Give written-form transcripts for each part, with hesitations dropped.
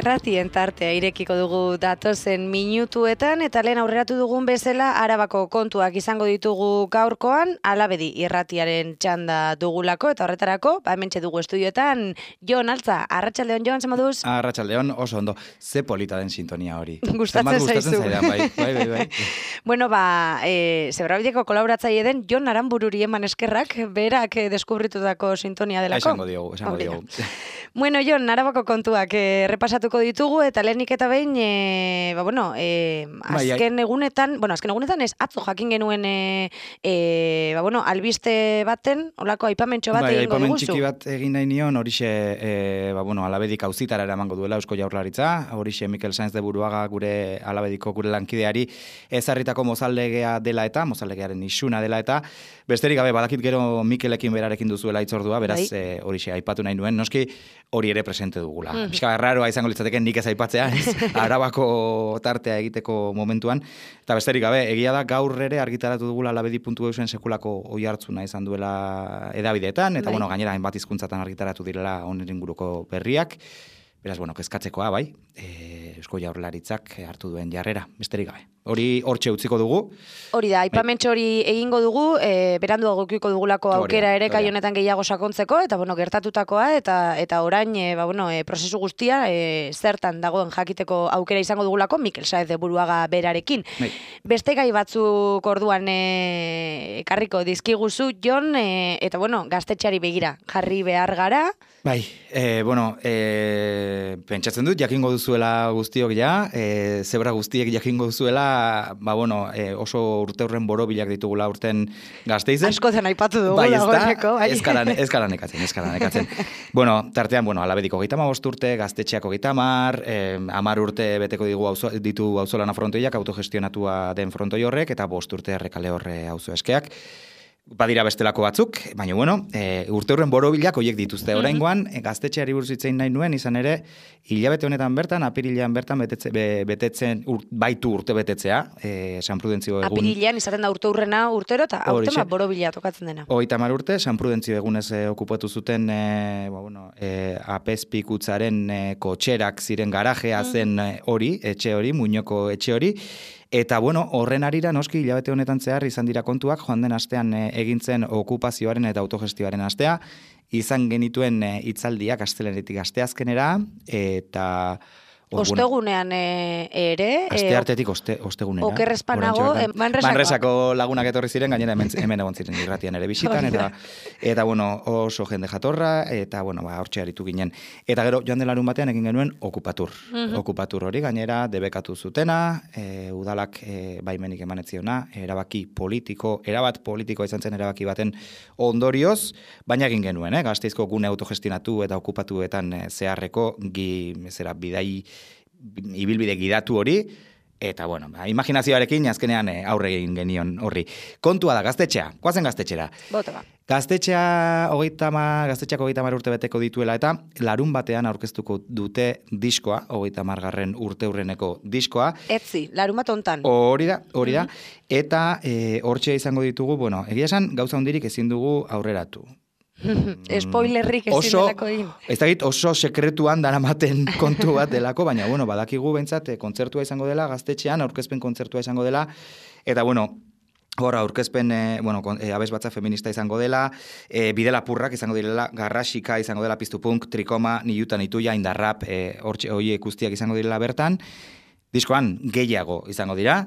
Irratien tartea irekiko dugu datozen minutuetan eta lehen aurreratu dugun bezala Arabako kontuak izango ditugu gaurkoan, Alabedi irratiaren txanda dugulako eta horretarako, hementxe dugu estudioetan Jon Altza. Arratsaldeon Jon, zer moduz? Arratsaldeon, oso ondo. Ze polita den sintonia hori. Gustatzen zaizu. Bai. Bueno, Zebrabideko kolaboratzaile den Jon Aranbururi eman eskerrak, berak deskubritutako sintonia delako. Esango diogu. Bueno, Jon, Arabako kontuak repasatuko ditugu eta lehenik eta behin, azken egunetan ez atzo jakin genuen albiste baten, olako aipamentxo bat egingo aipamen diguzu. Txiki bat egin nahi nion, horixe Alabedik auzitara eramango duela Eusko Jaurlaritza, horixe Mikel Sainz de Buruaga gure Alabediko gure lankideari ezarritako mozaldegea dela eta, mozaldegearen isuna dela eta, besterik gabe badakit gero Mikelekin berarekin duzuela itzordua, beraz horixe aipatu nahi nuen, noski hori ere presente dugula. Pixka raroa izango litzateken nik ez aipatzea, Arabako tartea egiteko momentuan, eta besterik gabe, egia da gaur ere argitaratu dugula alabedi.eusen sekulako oihartzuna izan duela edabideetan, eta gainera hainbat hizkuntzatan argitaratu direla honen inguruko berriak, beraz, kezkatzekoa, bai, Eusko Jaurlaritzak hartu duen jarrera, besterik gabe. Hori hortxe utziko dugu. Hori da, aipamentxo hori egingo dugu, berandu agokiko dugulako aukera ere kai honetan gehiago sakontzeko, eta gertatutakoa, eta orain, prozesu guztia, zertan dagoen jakiteko aukera izango dugulako, Mikel Sainz de Buruaga berarekin. Beste gai batzuk orduan ekarriko dizkiguzu, Jon, eta gaztetxeari begira, jarri behar gara. Bai, pentsatzen dut, jakingo duzuela guztiok ja, zebra guztiek jakingo duzuela, oso urteurren borobilak ditugula urten Gasteizen. Asko zen aipatu dugu dagoeneko. Ez gara nekatzen. Tartean, Alabediko 35 urte, gaztetxeak 30, 10 urte beteko ditu auzolana frontoiak, autogestionatua den frontoi horrek, eta 5 urte errekale horre auzo eskeak. Badira bestelako batzuk, baina urteurren borobilak hoiek dituzte. Oraingoan, gaztetxeari buruz hitz egin nahi nuen, izan ere, hilabete honetan bertan, apirilean bertan betetzen baitu urte betetzea, San Prudentzio egun. Apirilean izaten da urteurrena urtero, eta aurtema borobila tokatzen dena. 30 urte, San Prudentzio egunez okupatu zuten apezpikutzaren kotxerak ziren garajea zen hori, etxe hori, Muñoko etxe hori, eta horren arira noski hilabete honetan zehar izan dira kontuak, joan den astean egintzen okupazioaren eta autogestioaren astea, izan genituen hitzaldiak astelenetik asteazkenera, eta ostegunean ere... Asteartetik ostegunera. Okerrezpanago, Manresako lagunak etorri ziren, gainera hemen egon ziren irratian ere bisitan, eta oso jende jatorra, eta hortxe aritu ginen. Eta gero, joan den larun batean egin genuen okupatur. Okupatur hori gainera debekatu zutena, udalak baimenik emanetziona, erabat politikoa izan zen erabaki baten ondorioz, baina egin genuen, Gasteizko gune autogestionatu eta okupatuetan zeharreko bidai ibilbide gidatu hori, eta imaginazioarekin azkenean aurre egin genion horri. Kontua da, gaztetxea, goazen gaztetxera. Bote ba. Gaztetxeak 30 urte beteko dituela eta larun batean aurkeztuko dute diskoa, 30. urteurreneko diskoa. Etzi, larun bat hontan. Hori da, eta hortxe izango ditugu, egia esan gauza hondirik ezin dugu aurreratu. Spoilerrik ezin delako egin. Ez dakit oso sekretuan daramaten kontu bat delako, baina badakigu behintzat kontzertua izango dela, gaztetxean aurkezpen kontzertua izango dela, eta aurkezpen abesbatza feminista izango dela, bidelapurrak izango direla, garrasika izango dela, piztupunk, trikoma, niuta, nituia, indarrap, horiek guztiak izango direla bertan, diskoan gehiago izango dira,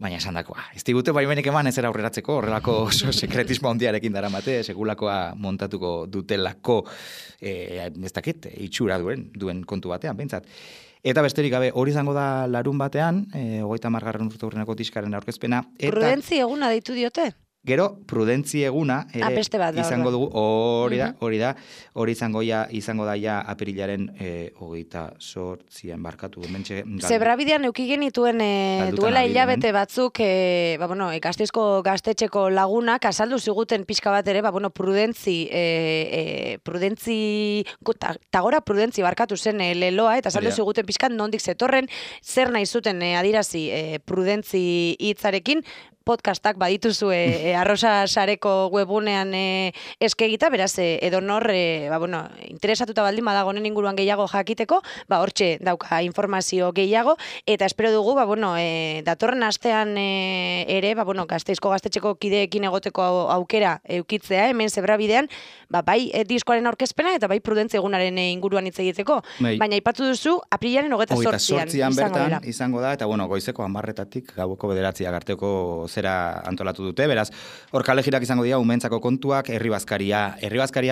baina esan dakoa. Ez digute baimenik eman ezera aurreratzeko, horrelako oso sekretismo handiarekin daramate, segulakoa montatuko dutelako, ez dakit, itxura duen kontu batean, behintzat. Eta besterik gabe, hori izango da larun batean, 30. urteurreneko diskaren aurkezpena. Prudentzi eguna deitu diote? Gero, prudentzi eguna ere izango dugu, hori izango daia apirilaren 28an barkatu. Zebrabidean euki genituen duela hilabete batzuk, Gasteizko gaztetxeko lagunak azaldu ziguten pixka bat ere, prudentzi tagora prudentzi barkatu zen leloa, eta azaldu ziguten pixkan nondik zetorren, zer nahi zuten adirazi prudentzi hitzarekin, podcastak badituzu Arrosa Sareko webunean eskegita, beraz, edonor, interesatuta baldin badago honen inguruan gehiago jakiteko, hortxe dauka informazio gehiago, eta espero dugu, datorren astean ere, Gasteizko gaztetxeko kideekin egoteko aukera eukitzea, hemen Zebrabidean, bai diskoaren aurkezpena eta bai Prudentzia egunaren inguruan hitz egiteko. Baina aipatu duzu, aprilaren 28an bertan izango da, eta goizeko 10:00 gaueko 9:00 arteko zera antolatu dute, beraz, hor kalegirak izango dira umentzako kontuak, herri-bazkaria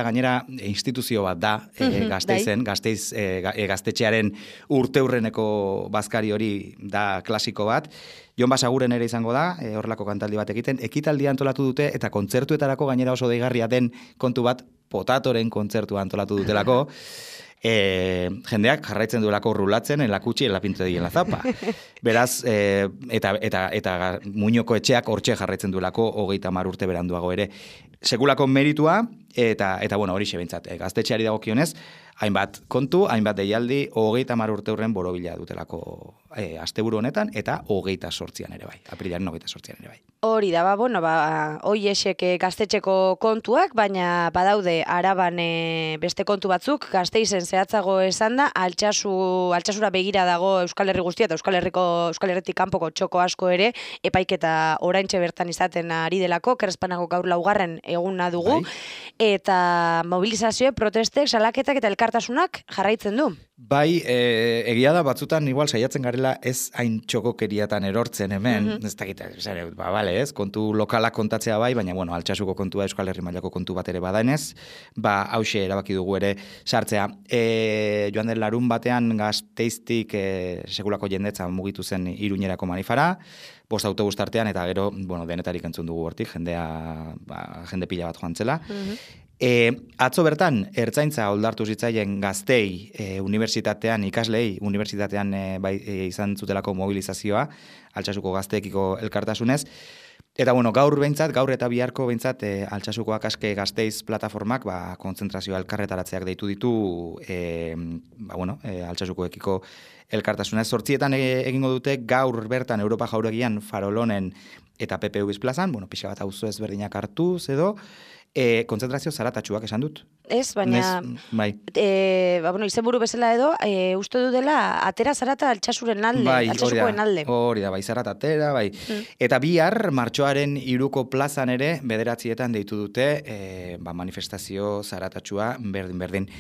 gainera instituzio bat da, Gasteizen, gaztetxearen urteurreneko bazkari hori da klasiko bat, Jon Basaguren ere izango da, horrelako kantaldi bat egiten, ekitaldia antolatu dute, eta kontzertuetarako gainera oso deigarria den kontu bat, Potatoren kontzertua antolatu dutelako, jendeak jarraitzen duelako rulatzen en la kutsi en la pinto en la zapa. Beraz, eta Muñoko etxeak hortxe jarraitzen duelako 30 urte beranduago ere. Sekulako meritua, eta hori xebintzat, gaztetxeari dagokionez, hainbat kontu, hainbat deialdi, 30 urte hurren borobila dutelako asteburu honetan, eta 28an ere bai, aprilaren 28an ere bai. Hori da, hoiesek gaztetxeko kontuak, baina badaude Araban beste kontu batzuk, Gasteizen zehatzago esan da, Altsasura begira dago Euskal Herri guztia, eta Euskal Herritik kanpoko txoko asko ere, epaiketa oraintxe bertan izaten ari delako, Krespanako gaur 4. eguna dugu, eta mobilizazioe, protestek, salaketak eta elkartasunak jarraitzen du. Bai, egia da batzutan igual saiatzen garela ez hain txokokeriatan erortzen hemen, ez dakit, ez, kontu lokalak kontatzea bai, baina Altsasuko kontua Euskal Herri mailako kontu bat ere badaenez, hause erabaki dugu ere sartzea. Joan den larun batean Gasteiztik sekulako jendetza mugitu zen Iruñerako manifara, 5 autobus tartean, eta gero, denetarik entzun dugu hortik, jende pila bat joan zela. Atzo bertan, ertzaintza oldartu zitzaien Gaztei unibertsitatean, ikaslei unibertsitatean izan zutelako mobilizazioa, Altsasuko gazteekiko elkartasunez. Eta gaur eta biharko behintzat, Altsasukoak aske Gasteiz plataformak kontzentrazioa elkarretaratzeak deitu ditu Altsasukoekiko elkartasunez. 8 egingo dute gaur bertan Europa Jauregian Farolonen eta PPU plazan, pixa bat auzo ezberdinak hartuz edo, kontzentrazio zaratatsuak esan dut. Ez, baina izenburu bezala edo, uste du dela atera zarata Altsasuren alde, Altsasukoen alde. Hori da, zarata atera, Eta bihar, martxoaren 3ko plazan ere, 9:00 deitu dute, manifestazio zaratatsua berdin.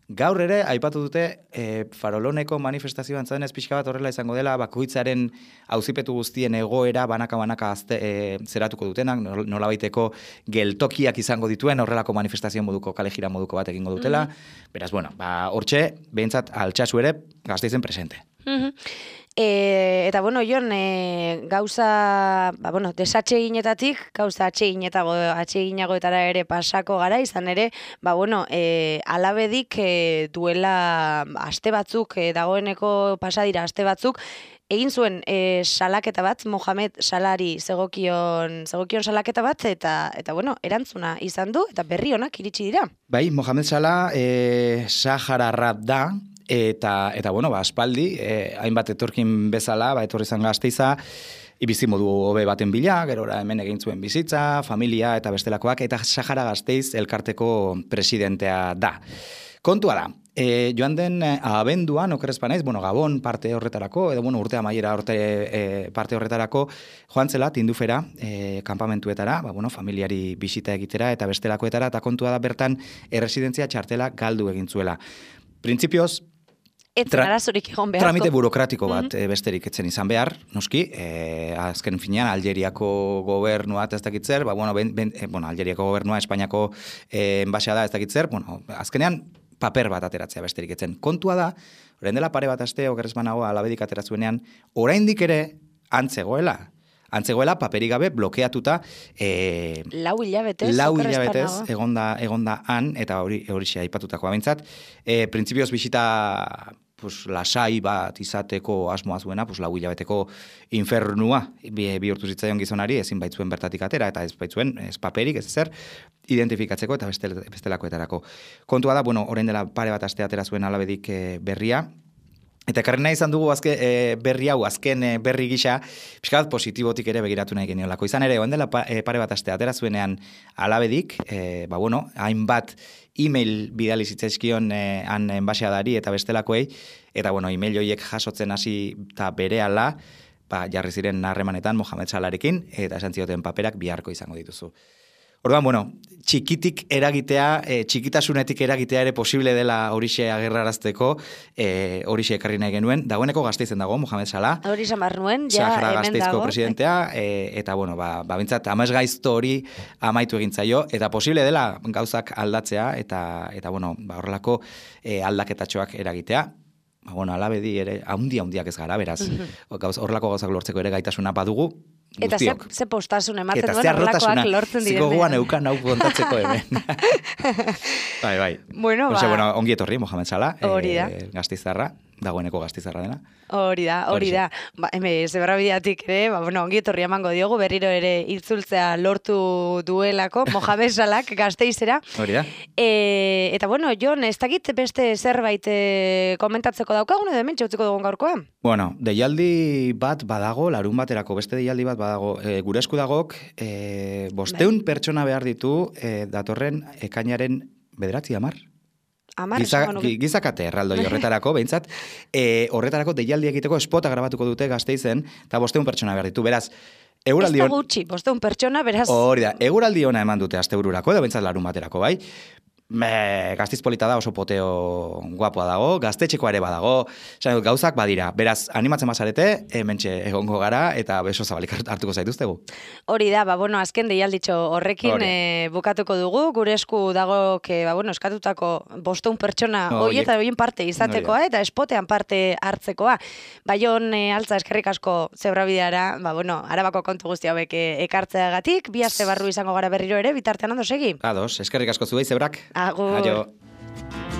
Gaur ere, aipatu dute, Faroloneko manifestazioan zadenez pixka bat horrela izango dela, bakoitzaren auzipetu guztien egoera banaka zeratuko dutenak, nolabaiteko geltokiak izango dituen horrelako manifestazio moduko, kalejira moduko bat egingo dutela. Beraz, hortxe, behintzat Altsasu ere, Gasteizen presente. Eta Jon, gauza, desatseginetatik, gauza atseginagoetara ere pasako gara, izan ere, Alabedik duela aste batzuk, dagoeneko pasadira aste batzuk, egin zuen salaketa bat, Mohamed Salari zegokion salaketa bat, eta erantzuna izan du, eta berri honak iritsi dira. Bai, Mohamed Salah Sahararra da, eta aspaldi, hainbat etorkin bezala, etorri zan Gasteiza, bizimodu hobe baten bila, gerora hemen egin zuen bizitza, familia eta bestelakoak, eta Sahara Gasteiz elkarteko presidentea da. Kontua da, joan den abenduan, okerrezpanaiz, Gabon parte horretarako, edo urte amaiera parte horretarako, joan zela Tindufera, kanpamentuetara, familiari bisita egitera eta bestelakoetara, eta kontua da bertan erresidentzia txartela galdu egin zuela. Printzipioz, tramite burokratiko bat besterik etzen izan behar, noski, azken finean Algeriako gobernua ez dakitzer, Algeriako gobernua Espainiako enbasea da ez dakitzer, azkenean paper bat ateratzea besterik etzen. Kontua da, orain dela pare bat aste, okerrezpanago Alabedik ateratzuenean, oraindik ere antzegoela paperik gabe blokeatuta 4 hilabetez egonda han, eta hori aipatutakoa behintzat, printzipioz bisita lasai bat izateko asmoa zuena, 4 hilabeteko infernua bihurtu zitzaion gizonari, ezin baitzuen bertatik atera, eta ez baitzuen ez paperik, ez ezer, identifikatzeko eta bestelakoetarako. Kontua da, orain dela pare bat aste atera zuen Alabedik berria, Eta ekarri nahi izan dugu berri hau, azken berri gisa, pixka bat positibotik ere begiratu nahi geniolako. Izan ere, oen dela pare bat aste atera zuenean Alabedik, hainbat e-mail bidali zitzaizkion han enbaxadari eta bestelakoei, eta e-mail horiek jasotzen hasi eta berehala, jarri ziren harremanetan Mohamed Salarekin, eta esan zioten paperak biharko izango dituzu. Orduan, txikitik eragitea, txikitasunetik eragitea ere posible dela horixe agerrarazteko, horixe ekarri nahi genuen. Dagoeneko Gasteizen dago, Mohamed Salah. Horixe mar nuen, ja, Sahara hemen Gasteizko dago. presidentea, eta, bintzat, amesgaizto hori amaitu egintzaio, eta posible dela gauzak aldatzea, eta horrelako aldaketatxoak eragitea. Alabedi ere, handiak ez gara, beraz, horrelako gauzak lortzeko ere gaitasuna badugu, Eta guztiok. ze postasun ematen Eta duen ze horrelakoak arrotasuna, lortzen diren. ziko guan eukan hau kontatzeko hemen. Bai. Bueno, ongi etorri, Mohamed Salah, hori da. Gasteiztarra, dagoeneko Gasteiztarra dena. Hori da. Zebrabideatik ere, ongi etorri emango diogu, berriro ere itzultzea lortu duelako, Mohamed Salahk Gasteizera. Hori da. Eta Jon, ez dakit beste zerbait komentatzeko daukagun, edo hemen txautziko dugun gaurkoa? Deialdi bat badago, larun baterako beste deialdi bat badago, gure esku dagok, 500 pertsona behar ditu datorren ekainaren 9 Gizakate erraldoi horretarako, behintzat, horretarako deialdi egiteko spota grabatuko dute Gasteizen, eta 500 pertsona behar ditu, beraz, eguraldi... Ez da gutxi, 500 pertsona, beraz... Hori da, eguraldi ona eman dute astebururako, edo behintzat larun baterako, bai? Gasteiz polita da, oso poteo guapoa dago, gaztetxekoa ere badago, gauzak badira, beraz, animatzen bazarete, hementxe egongo gara, eta beso zabalik hartuko zaituztegu. Hori da, azken deialditxo horrekin bukatuko dugu, gure esku dago, eskatutako 500 pertsona horien parte izatekoa, eta espotean parte hartzekoa. Baion altza eskerrik asko zebrabideara, Arabako kontu guzti hauek ekartzeagatik, bi aste barru izango gara berriro ere, bitartean ondo segi. Ados, eskerrik asko zuei zebrak. Agur. Aio.